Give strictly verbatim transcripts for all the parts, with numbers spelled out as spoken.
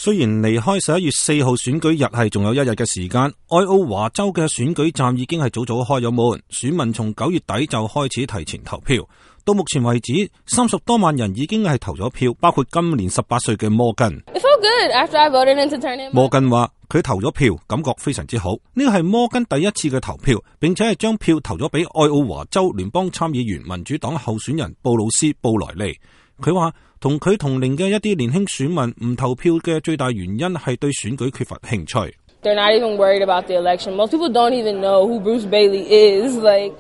雖然離開十一月四號選舉日係仲有一日嘅時間，愛奧華州嘅選舉站已經係早早開咗門，選民從九月底就開始提前投票。到目前為止，三十多萬人已經係投咗票，包括今年十八歲嘅摩根。摩根話佢投咗票，感覺非常之好。呢個係摩根第一次嘅投票，並且係將票投咗俾愛奧華州聯邦參議員民主黨候選人布魯斯布萊利。佢話同佢同齡嘅一啲年輕選民唔投票嘅最大原因係對選舉缺乏興趣。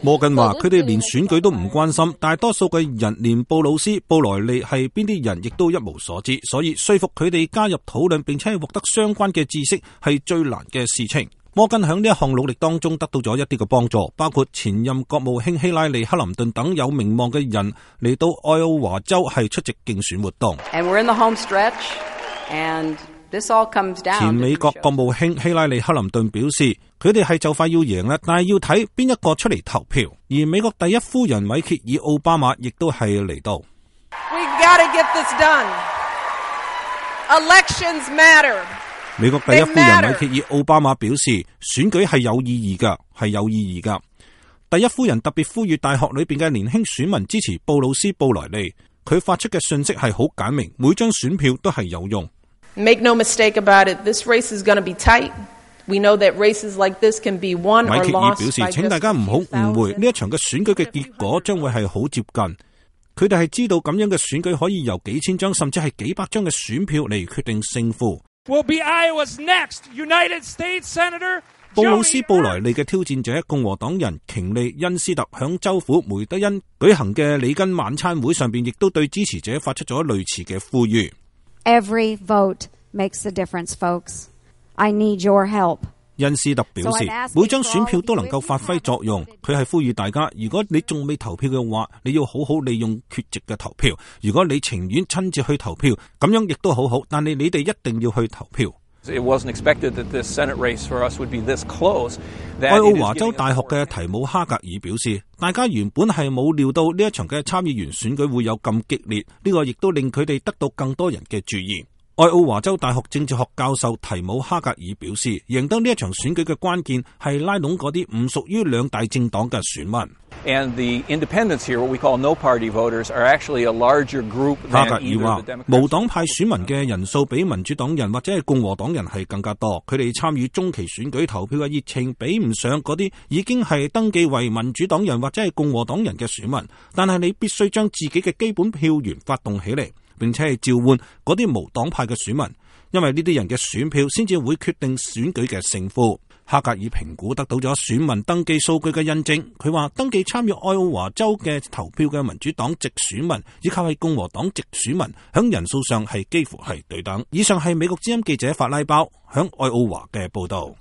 摩根話佢哋連選舉都唔關心，大多數嘅人連布魯斯布萊利係邊啲人亦都一無所知，所以說服佢哋加入討論並且係獲得相關嘅知識係最難嘅事情。摩根喺呢一項努力當中得到咗一啲嘅幫助，包括前任國務卿希拉里克林頓等有名望嘅人嚟到愛奧華州係出席競選活動。And we're in the home stretch, and this all comes down. 前美國國務卿希拉里克林頓表示，佢哋係就快要贏啦，但係要睇邊一個出嚟投票。而美國第一夫人米歇爾奧巴馬亦都係嚟到。We gotta get this done. Elections matter. 美國第一夫人米歇爾奧巴馬表示，選舉係有意義噶，係有意義噶。第一夫人特別呼籲大學裏邊嘅年輕選民支持布魯斯布萊利。佢發出嘅信息係好簡明，每張選票都係有用。Make no mistake about it, this race is going to be tight. We know that races like this can be won or lost by just a few thousand. 米歇爾表示，請大家唔好誤會，呢一場嘅選舉嘅結果將會係好接近。佢哋係知道咁樣嘅選舉可以由幾千張甚至係幾百張嘅選票嚟決定勝負。Will be Iowa's next United States Senator. 布魯斯布萊利嘅挑戰者共和黨人瓊利恩斯特響州府梅德恩舉行嘅里根晚餐會上邊，亦都對支持者發出咗類似嘅呼籲。Every vote makes a difference, folks. I need your help. 恩斯特表示，每張選票都能夠發揮作用。佢係呼籲大家，如果你仲未投票嘅話，你要好好利用缺席嘅投票。如果你情願親自去投票，咁樣亦都好好。但係你哋一定要去投票。It wasn't expected that this Senate race for us would be this close. 愛奧華州大學嘅提姆哈格爾表示，大家原本係冇料到呢一場嘅參議員選舉會有咁激烈，呢個亦都令佢哋得到更多人嘅注意。愛奧華州大學政治學教授提姆哈格爾表示，贏得呢一場選舉嘅關鍵係拉攏嗰啲唔屬於兩大政黨嘅選民。And the independents here, what we call no-party voters, are actually a larger group than either the Democrats. 無黨派選民嘅人數比民主黨人或者係共和黨人係更加多，佢哋參與中期選舉投票嘅熱情比唔上嗰啲已經係登記為民主黨人或者係共和黨人嘅選民。但係你必須將自己嘅基本票源發動起嚟，並且係召喚嗰啲無黨派嘅選民，因為呢啲人嘅選票先至會決定選舉嘅勝負。哈格爾評估得到咗選民登記數據嘅印證，佢話登記參與愛奧華州嘅投票嘅民主黨籍選民以及係共和黨籍選民響人數上係幾乎係對等。以上係美國之音記者法拉包響愛奧華嘅報道。